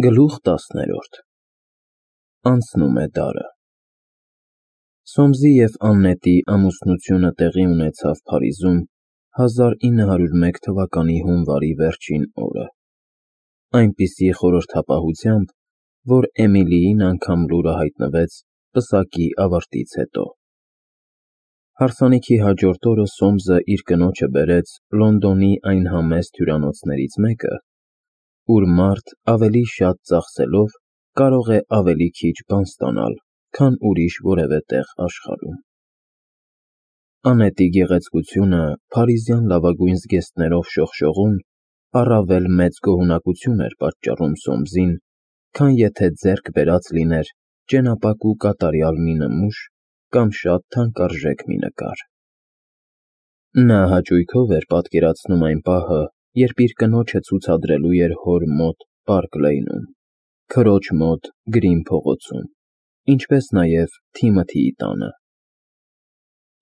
Գլուխ 10-րդ Անցնում է դարը։ Սոմսի և Աննետի ամուսնությունը տեղի ունեցավ Փարիզում 1901 թվականի հունվարի վերջին օրը, այնպիսի խորհրդապահությամբ, որ Էմիլիին անգամ լուրը հայտնվեց պսակի ավարտից հետո։ Հարսանիքի հաջորդ օրը Սոմսը իր կնոջը բերեց Լոնդոնի այն համեստ հյուրանոցներից մեկը, ուր մարդ ավելի շատ ծախսելով կարող է ավելի քիչ բան ստանալ, քան ուրիշ որևէ տեղ աշխարհում։ Աննետի գեղեցկությունը փարիզյան լավագույն զգեստներով շողշողուն առավել մեծ գոհունակություն էր պատճառում Սոմսին, քան եթե ձեռք բերած լիներ ճենապակ ու կատարյալ մի նմուշ կամ շատ թանկարժեք մի նկար։ Նա հաճույքով էր պատկերացնում այն պահը, երբ իր կնոջը ցուցադրելու էր հոր մոտ Պարկ Լեյնում, քրոջ մոտ Գրին փողոցում, ինչպես նաև Թիմոթիի տանը։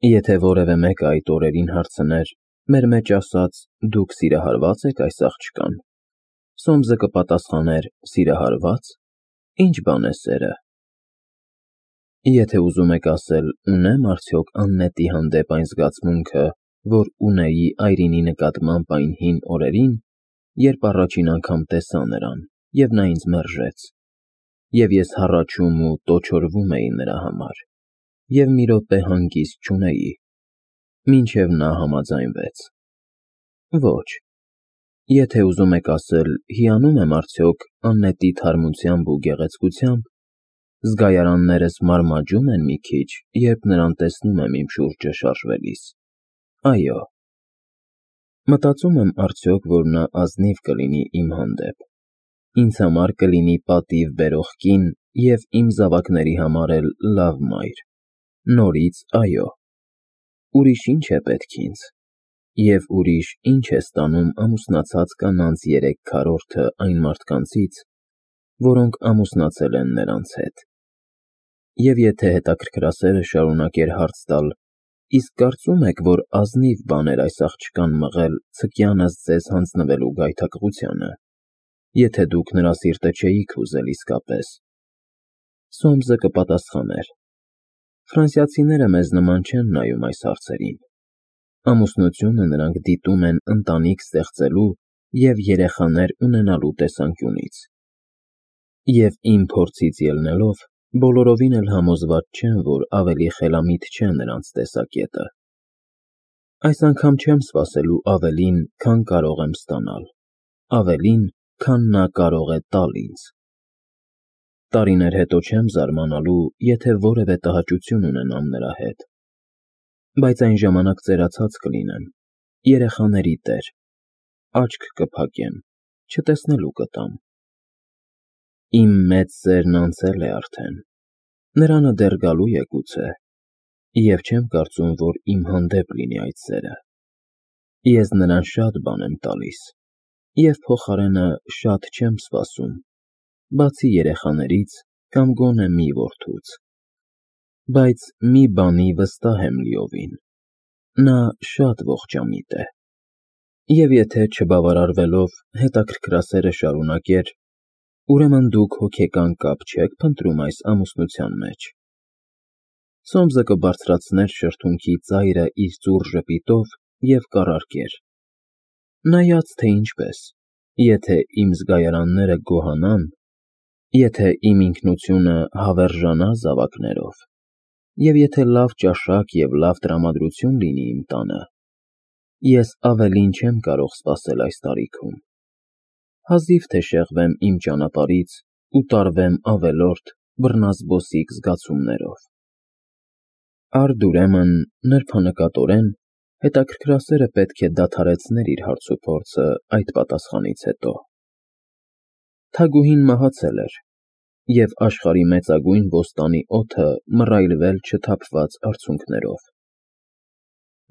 Եթե որևէ մեկը այդ օրերին հարցներ, մեր մեջ ասած, դուք սիրահարվա՞ծ եք այս աղջկան, Սոմսը կպատասխաներ. սիրահարվա՞ծ, ինչ բան է սերը։ Եթե ուզում եք ասել, ունե՞մ արդյոք Աննետի հանդեպ այն զգացմունքը, որ ունեի Այրինի նկատմամբ այն հին օրերին, երբ առաջին անգամ տեսա նրան, և նա ինձ մերժեց, և ես հառաչում ու տոչորվում էի նրա համար, և մի րոպե հանգիստ չունեի, մինչև նա համաձայնվեց։ Ոչ։ Եթե ուզում եք ասել, հիանում եմ արդյոք Աննետի թարմությամբ ու գեղեցկությամբ, զգայարաններս մարմաջում են մի քիչ, երբ նրան տեսնում եմ իմ շուրջը շարժվելիս, այո։ Մտածում եմ արդյոք, որ նա ազնիվ կլինի իմ հանդեպ, ինձ համար կլինի պատիվ բերող կին և իմ զավակների համար էլ լավ մայր, նորից այո։ Ուրիշ ինչ է պետք ինձ, և ուրիշ ինչ է ստանում ամուսնացած կանանց 3/4-ը այն մարդկանցից, որոնք ամուսնացել են նրանց հետ։ Եվ եթե հետաքրքրասերը շարունակեր հարց տալ, իսկ կարծում եք, որ ազնիվ բան էր այս աղջկան մղել ցկյանս ձեզ հանձնվելու գայթակղությանը, եթե դուք նրա սիրտը չէիք ուզել իսկապես, Սոմսը կպատասխաներ. ֆրանսիացիները մեզ նման չեն նայում այս հարցերին։ Ամուսնությունը նրանք դիտում են ընտանիք ստեղծելու և երեխաներ ունենալու տեսանկյունից։ Եվ իմ փորձից ելնելով, բոլորովին էլ համոզված չեմ, որ ավելի խելամիտ չէ նրանց տեսակետը։ Այս անգամ չեմ սպասելու ավելին, քան կարող եմ ստանալ, ավելին, քան նա կարող է տալ ինձ։ Տարիներ հետո չեմ զարմանալու, եթե որևէ տհաճություն ունենամ նրա հետ, բայց այն ժամանակ ծերացած կլինեմ, երեխաների տեր, աչք կփակեմ, չտեսնելու կտամ։ Իմ մեծ սերն անցել է արդեն, նրանը դեռ գալու է գուցե, և չեմ կարծում, որ իմ հանդեպ լինի այդ սերը։ Ես նրան շատ բան եմ տալիս, և փոխարենը շատ չեմ սպասում, բացի երեխաներից կամ գոնե մի որդուց։ Բայց մի բանի վստահ եմ լիովին. նա շատ ողջամիտ է։ Եվ եթե չբավարարվելով հետաքրքրասերը շարունակեր, ուրեմն դուք հոգեկան կապ չեք փնտրում այս ամուսնության մեջ։ Սոմսը կբարձրացներ շրթունքի ծայրը իր ծուռ ժպիտով և կառարկեր. նայած թե ինչպես, եթե իմ զգայարանները գոհանան, եթե իմ ինքնությունը հավերժանա զավակներով, և եթե լավ ճաշակ և լավ տրամադրություն լինի իմ տանը, ես ավելին չեմ կարող սպասել այս տարիքում։ Հազիվ թե շեղվեմ իմ ճանապարհից ու տարվեմ ավելորդ, բռնազբոսիկ զգացումներով։ Արդ ուրեմն, նրբանկատորեն, հետաքրքրասերը պետք է դադարեցներ իր հարցուփորձը այդ պատասխանից հետո։ Թագուհին մահացել էր, և աշխարհի մեծագույն բոստանի օդը մռայլվել չթափված արցունքներով։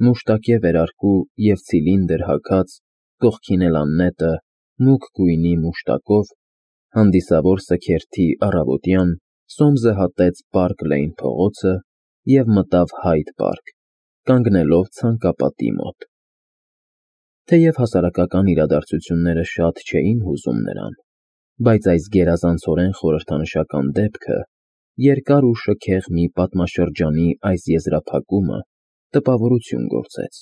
Մուշտակե վերարկու և ցիլինդր հագած, կողքին էլ Աննետը, մուգ գույնի մուշտակով, հանդիսավոր սգերթի առավոտյան Սոմսը հատեց Պարկ Լեյն փողոցը և մտավ Հայդ պարկ, կանգնելով ցանկապատի մոտ։ Թեև հասարակական իրադարձությունները շատ չէին հուզում նրան, բայց այս գերազանցորեն խորհրդանշական դեպքը, երկար ու շքեղ մի պատմաշրջանի այս եզրափակումը տպավորություն գործեց։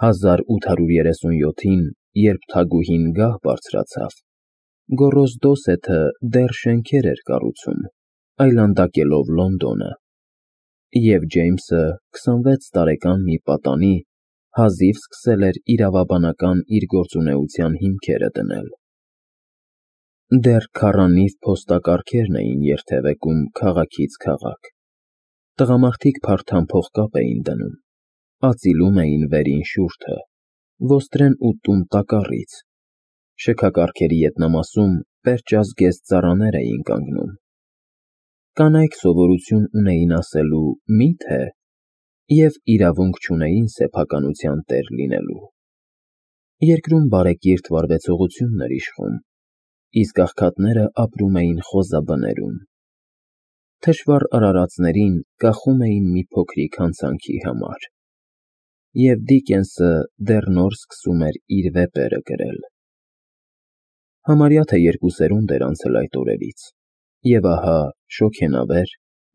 1837-ին, երբ թագուհին գահ բարձրացավ, Գոռոզդոսեթը դեռ շենքեր էր կառուցում, այլանդակելով Լոնդոնը, և Ջեյմսը 26 տարեկան մի պատանի հազիվ սկսել էր իրավաբանական իր գործունեության հիմքերը դնել։ Դեռ քառանիվ փոստակառքերն էին երթևեկում քաղաքից քաղաք։ Տղամարդիկ փարթամ փողկապ էին դնում, ածիլում էին վերին շուրթը, ոստրեն ու տուն տակառից, շքակառքերի ետնամասում պերճազգեստ ծառաներ էին կանգնում։ Կանայք սովորություն ունեին ասելու «մի՞թե» և իրավունք չունեին սեփականության տեր լինելու։ Երկրում բարեկիրթ վարվեցողությունն էր իշխում, իսկ աղքատները ապրում էին խոզաբներում։ Թշվառ արարածներին կախում էին մի փոքրիկ հանցանքի համար, և Դիկենսը դեռ նոր սկսում էր իր վեպերը գրել։ Համարյա թե 2 սերունդ էր անցել այդ օրերից, և ահա շոգենավեր,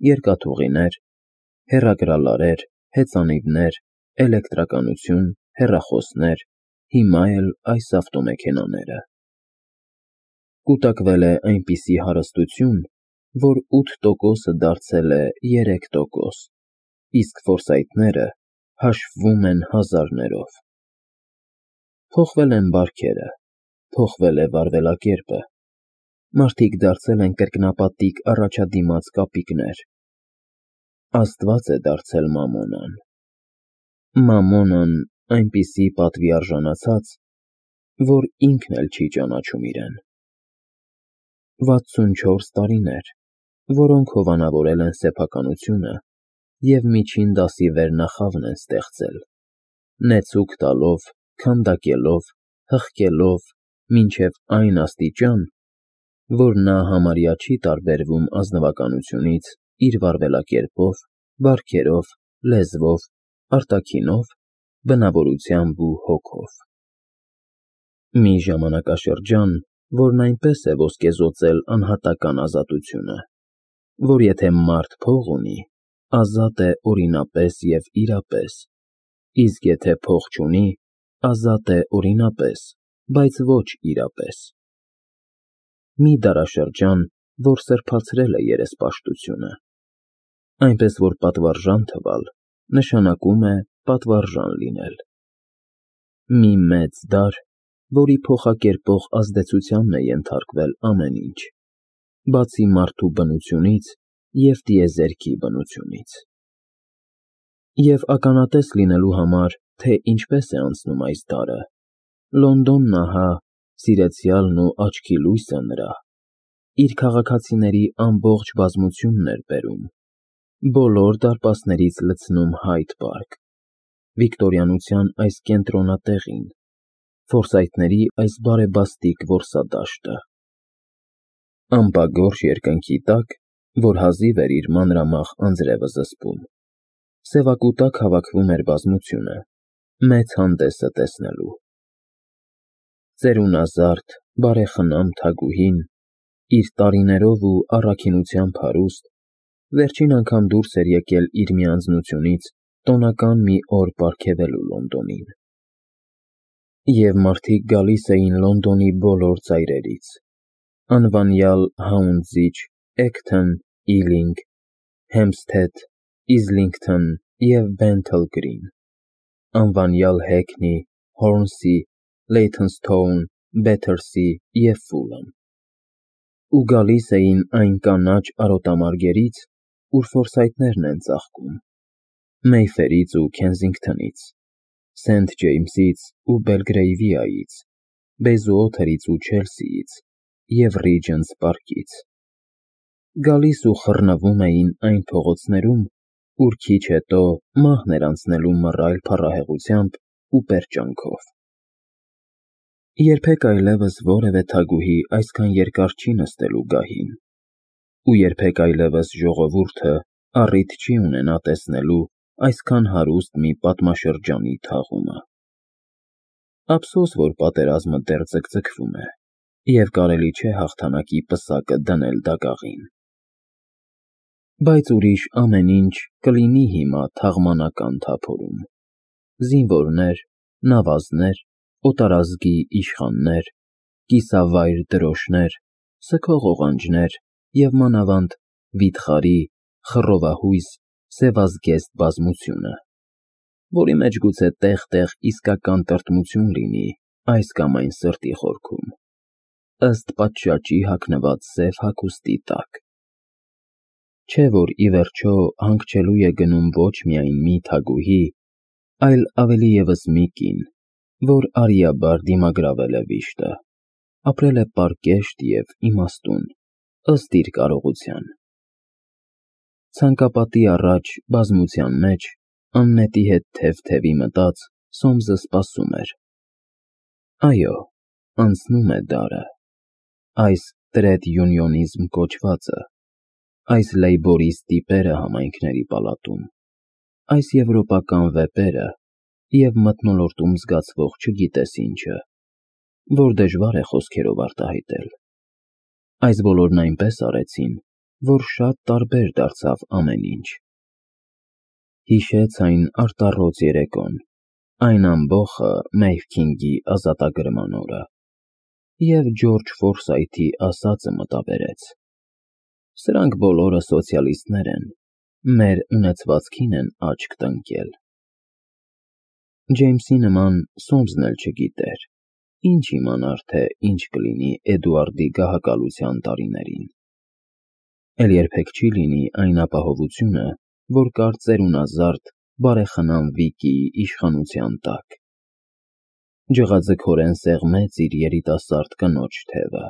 երկաթուղիներ, հեռագրալարեր, հեծանիվներ, էլեկտրականություն, հեռախոսներ, հիմա էլ այս ավտոմեքենաները։ Կուտակվել է այնպիսի հարստություն, որ 8%-ը դարձել է 3%, իսկ ֆորսայթները հաշվվում են հազարներով։ Փոխվել են բարքերը, փոխվել է վարվելակերպը, մարդիկ դարձել են կրկնապատիկ առաջադիմաց կապիկներ։ Աստված է դարձել Մամոնան։ Մամոնան այնպիսի պատվի արժանացած, որ ինքն էլ չի ճանաչում իրեն։ 64 տարիներ, որոնք հովանավորել են սեփականությունը և միջին դասի վերնախավն են ստեղծել, նեցուկ տալով, քանդակելով, հղկելով մինչև այն աստիճան, որ նա համարյա չի տարբերվում ազնվականությունից իր վարվելակերպով, բարքերով, լեզվով, արտաքինով, բնավորությամբ ու հոգով։ Մի ժամանակաշրջան, որն այնպես է ոսկեզօծել անհատական ազատությունը, որ եթե մարդ փող ունի, ազատ է օրինապես և իրապես, իսկ եթե փող չունի, ազատ է օրինապես, բայց ոչ իրապես։ Մի դարաշրջան, որ սրբացրել է երեսպաշտությունը, այնպես որ պատվարժան թվալ, նշանակում է պատվարժան լինել։ Մի մեծ դար, որի փոխակերպող ազդեցությանն է ենթարկվել ամեն ինչ, բացի մարդու բնությունից և տիեզերքի բնությունից։ Եվ ականատես լինելու համար, թե ինչպես է անցնում այս դարը, Լոնդոնն ահա, սիրեցյալն ու աչքի լույսը նրա, իր քաղաքացիների ամբողջ բազմությունն էր բերում, բոլոր դարպասներից լցնում Հայդ պարկ, վիկտորյանության այս կենտրոնատեղին, ֆորսայթների այս բարեբաստիկ որսադաշտը։ Ամպագորշ երկնքի տակ, որ հազիվ էր իր մանրամախ անձրևը զսպում, սևակուտակ հավաքվում էր բազմությունը, մեծ հանդեսը տեսնելու։ Ծերունազարդ, բարեխնամ թագուհին, իր տարիներով ու առաքինությամբ հարուստ, վերջին անգամ դուրս էր եկել իր միանձնությունից տոնական մի օր պարգևելու Լոնդոնին։ Եվ մարդիկ գալիս էին Լոնդոնի բոլոր ծայրերից, անվանյալ Հաունձիչ, Էքթոն, Իլինգ, Հեմփսթեթ, Իզլինգթոն և Բենթլ Գրին, անվանյալ Հեքնի, Հորնսի, Լեյթոնսթոուն, Բեթերսի և Ֆուլհամ, ու գալիս էին այն կանաչ արոտամարգերից, ուր ֆորսայթներն են ծաղկում, Մեյֆերից ու Քենսինգթոնից, Սենթ Ջեյմսից ու Բելգրեյվիայից, Բեյզուոթերից ու Չելսիից և Ռիջենտս պարկից։ Գալիս ու խռնվում էին այն փողոցներում, ուր քիչ հետո մահն էր անցնելու մռայլ փառահեղությամբ ու պերճանքով։ Երբեք այլևս որևէ թագուհի այսքան երկար չի նստելու գահին, ու երբեք այլևս ժողովուրդը առիթ չի ունենա տեսնելու այսքան հարուստ մի պատմաշրջանի թաղումը։ Ափսոս, որ պատերազմը դեռ ձգձգվում է, և կարելի չէ հաղթանակի պսակը դնել դագաղին։ Բայց ուրիշ ամեն ինչ կլինի հիմա թաղմանական թափորում. զինվորներ, նավազներ, օտարազգի իշխաններ, կիսավայր դրոշներ, սգող օղանջներ և մանավանդ վիթխարի, խռովահույս, սևազգեստ բազմությունը, որի մեջ գուցե տեղ-տեղ իսկական տրտմություն լինի այս կամ այն սրտի խորքում, ըստ պատշաճի հագնված սև հագուստի տակ։ Չէ՞ որ ի վերջո հանգչելու է գնում ոչ միայն մի թագուհի, այլ ավելի ևս մի կին, որ արիաբար դիմագրավել է վիշտը, ապրել է պարկեշտ և իմաստուն, ըստ իր կարողության։ Ցանկապատի առաջ բազմության մեջ, աննետի հետ թև-թևի մտած, Սոմսը սպասում էր։ Այո, անցնում է դարը, այս տրեդ յունիոնիզմ կոչվածը, այս լեյբորիստ տիպերը համայնքների պալատում, այս եվրոպական վեպերը և մթնոլորտում զգացվող չգիտես ինչը, որ դժվար է խոսքերով արտահայտել։ Այս բոլորն այնպես արեցին, որ շատ տարբեր դարձավ ամեն ինչ։ Հիշեց այն արտառոց երեկոն, այն ամբոխը Մեյր Քինգի ազատագրման օրը, և Ջորջ Ֆորսայթի ասածը մտաբերեց. «Սրանք բոլորը սոցիալիստներ են, մեր ունեցվածքին են աչք տնկել»։ Ջեյմսի նման Սոմսն էլ չգիտեր, ինչ իմանար, թե ինչ կլինի Էդուարդի գահակալության տարիներին։ Էլ երբեք չի լինի այն ապահովությունը, որ կար ծերունազարդ, բարեխնամ Վիկիի իշխանության տակ։ Ջղաձգորեն սեղմեց իր երիտասարդ կնոջ թևը։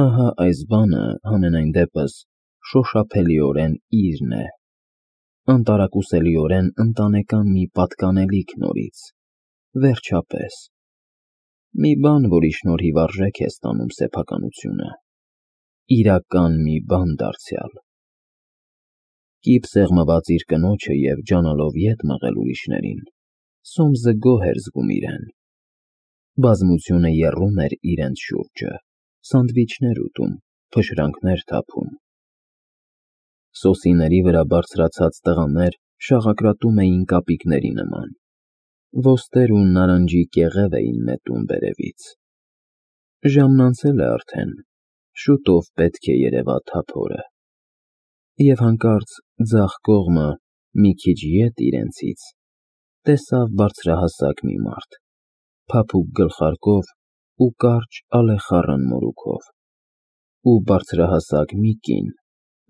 Ահա այս բանը, համենայն դեպս, շոշափելիորեն իրն է, անտարակուսելիորեն ընտանեկան մի պատկանելիք նորից, վերջապես, մի բան, որի շնորհիվ արժեք է ստանում սեփականությունը, իրական մի բան դարձյալ։ Կիպ սեղմված իր կնոջը և ջանալով ետ մղել ուրիշներին, Սոմսը գոհ էր զգում իրեն։ Բազմությունը եռում էր իրենց շուրջը, սանդվիչներ ուտում, փշրանքներ թափում։ Սոսիների վրա բարձրացած տղաներ շաղակրատում էին կապիկների նման, ոսկեր ու նարնջի կեղև էին նետում վերևից։ Ժամն անցել է արդեն, շուտով պետք է երևա թափորը։ Եվ հանկարծ ձախ կողմը, մի քիչ ետ իրենցից, տեսավ բարձրահասակ մի մարդ, փափուկ գլխարկով ու կարճ ալեխառն մորուքով, ու բարձրահասակ մի կին,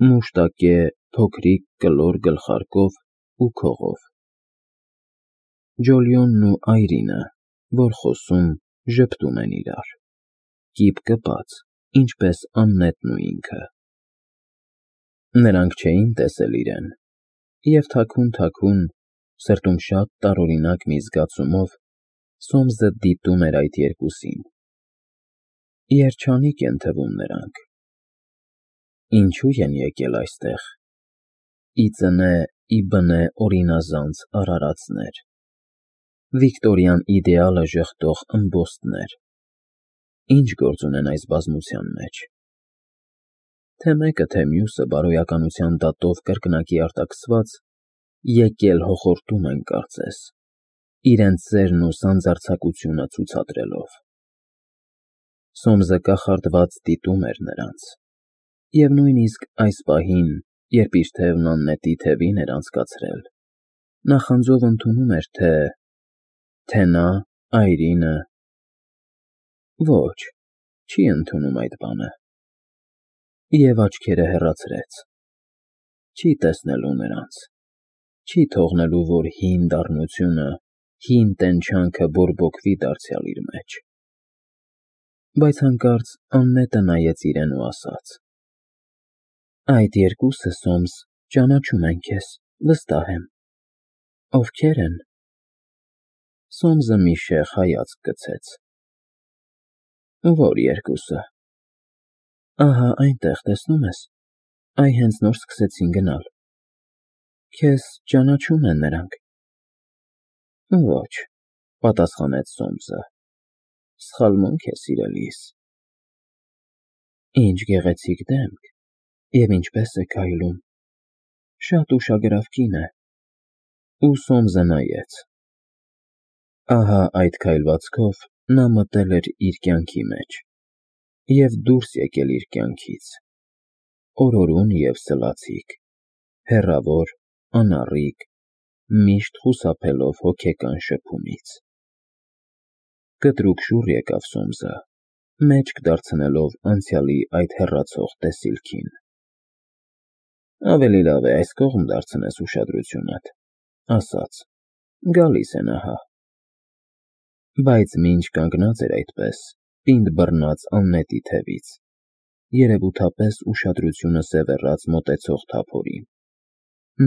մուշտակե, փոքրիկ կլոր գլխարկով ու քողով։ Ջոլիոնն ու Այրինը, որ խոսում, ժպտում են իրար, կիպ կպած, ինչպես Աննետն ու ինքը։ Նրանք չէին տեսել իրեն, և թաքուն, սրտում շատ տարօրինակ մի զգացումով, Սոմսը դիտում էր այդ երկուսին։ Երջանիկ են թվում նրանք։ Ինչո՞ւ են եկել այստեղ։ Ի ծնե, ի բնե օրինազանց արարածներ, վիկտորյան իդեալը ժխտող ըմբոստներ, ինչ գործ ունեն այս բազմության մեջ։ Թե մեկը, թե մյուսը բարոյականության դատով կրկնակի արտաքսված, եկել հոխորտում են կարծես, իրենց սերն ու սանձարձակությունը ցուցադրելով։ Սոմսը կախարդված դիտում էր նրանց, և նույնիսկ այս պահին, երբ իր թևն Աննետի թևին էր անցկացրել, նախանձով ընդունում էր, թե նա, Այրինը… Ոչ, չի ընդունում այդ բանը։ Եվ աչքերը հեռացրեց։ Չի տեսնելու նրանց, չի թողնելու, որ հին դառնությունը, հին տենչանքը բորբոքվի դարձյալ իր մեջ։ Բայց հանկարծ Աննետը նայեց իրեն ու ասաց. «Այդ երկուսը, Սոմս, ճանաչում են քեզ, վստահ եմ։ Ովքե՞ր են»։ Սոմսը մի շեղ հայացք գցեց։ Ո՞ր երկուսը։ Ահա այնտեղ, տեսնում ես, այ հենց նոր սկսեցին գնալ։ Քեզ ճանաչում են նրանք։ Ոչ, պատասխանեց Սոմսը։ Սխալմունք է, սիրելիս։ Ինչ գեղեցիկ դեմք, և ինչպես է քայլում, շատ ուշագրավ կին է։ Ու Սոմսը նայեց։ Ահա այդ քայլվածքով նա մտել էր իր կյանքի մեջ և դուրս եկել իր կյանքից, օրորուն և սլացիկ, հեռավոր, անառիկ, միշտ խուսափելով հոգեկան շփումից։ Կտրուկ շուռ եկավ Սոմսը, մեջք դարձնելով անցյալի այդ հեռացող տեսիլքին։ Ավելի լավ է այս կողմ դարձնես ուշադրությունդ, ասաց. Գալիս են ահա։ Բայց մինչ կանգնած էր այդպես, պինդ բռնած աննետի թևից, երևութապես ուշադրությունը սևեռած մոտեցող թափորին,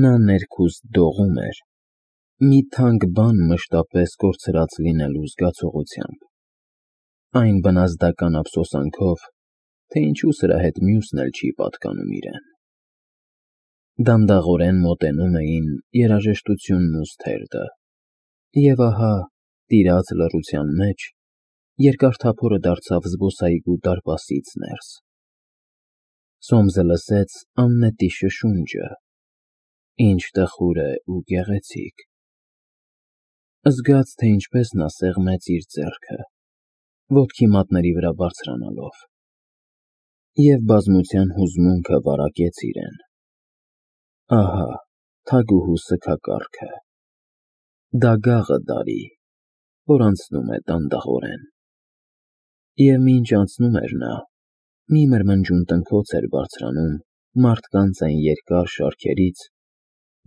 նա ներքուստ դողում էր, մի թանկ բան մշտապես կորցրած լինելու զգացողությամբ, այն բնազդական ափսոսանքով, թե ինչու սրա հետ մյուսն էլ չի պատկանում իրեն։ Դանդաղորեն մոտենում էին երաժշտությունն ու սթերդը, և ահա, տիրած լռության մեջ, երկար թափորը դարձավ զբոսայգու դարպասից ներս։ Սոմսը լսեց աննետի շշունջը, ինչ տխուր է ու գեղեցիկ։ Զգաց, թե ինչպես նա սեղմեց իր ձեռքը, ոտքի մատների վրա բարձրանալով, և բազմության հուզմունքը վարակեց իրեն։ Ահա, թագուհու սգակառքը, դագաղը դարի, որ անցնում է դանդաղորեն։ Եվ մինչ անցնում էր նա, մի մրմնջուն տնքոց էր բարձրանում մարդկանց այն երկար շարքերից,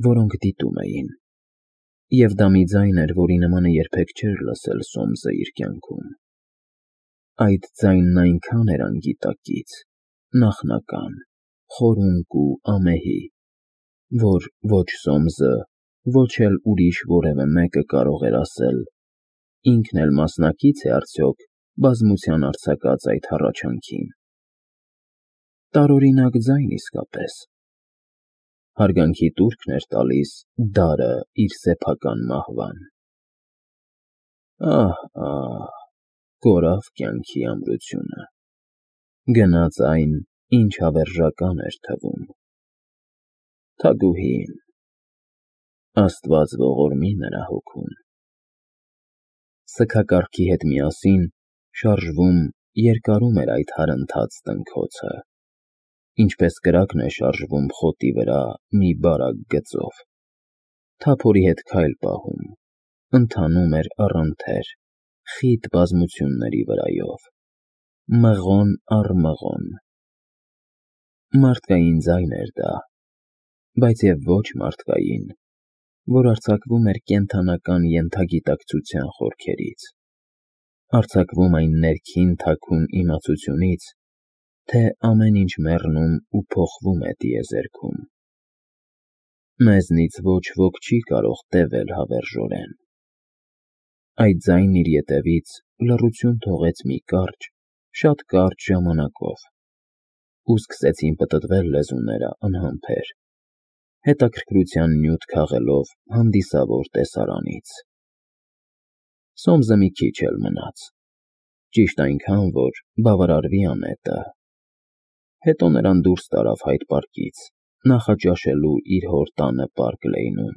որոնք դիտում էին, և դա մի ձայն էր, որի նմանը երբեք չէր լսել Սոմսը իր կյանքում։ Այդ ձայնն այնքան էր անգիտակից, նախնական, խորունկ ու ամեհի, որ ոչ Սոմսը, ոչ էլ ուրիշ որևէ մեկը կարող էր ասել. ինքն էլ մասնակից է արդյոք բազմության արձակած այդ հառաչանքին։ Տարօրինակ ձայն իսկապես։ Հարգանքի տուրքն էր տալիս դարը իր սեփական մահվան։ Ահ, կորավ կյանքի ամրությունը, գնաց այն, ինչ հավերժական էր թվում։ Թագուհին, Աստված ողորմի նրա հոգուն։ Սգակառքի հետ միասին շարժվում, երկարում էր այդ հարընթաց տնքոցը, ինչպես կրակն է շարժվում խոտի վրա մի բարակ գծով, թափորի հետ քայլ պահում, ընթանում էր առընթեր, խիտ բազմությունների վրայով, մղոն առ մղոն։ Մարդկային ձայն էր դա, բայց և ոչ մարդկային, որ արձակվում էր կենդանական ենթագիտակցության խորքերից, արձակվում այն ներքին թաքուն իմացությունից, թե ամեն ինչ մեռնում ու փոխվում է տիեզերքում։ Մեզնից ոչ ոք չի կարող տևել հավերժորեն։ Այդ ձայնն իր ետևից լռություն թողեց մի կարճ, շատ կարճ ժամանակով, ու սկսեցին պտտվել լեզուները անհամբեր, հետաքրքրության նյութ քաղելով հանդիսավոր տեսարանից։ Սոմսը մի քիչ էլ մնաց, ճիշտ այնքան, որ բավարարվի անետը։ Հետո նրան դուրս տարավ Հայդ պարկից, նախաճաշելու իր հոր տանը Պարկ Լեյնում։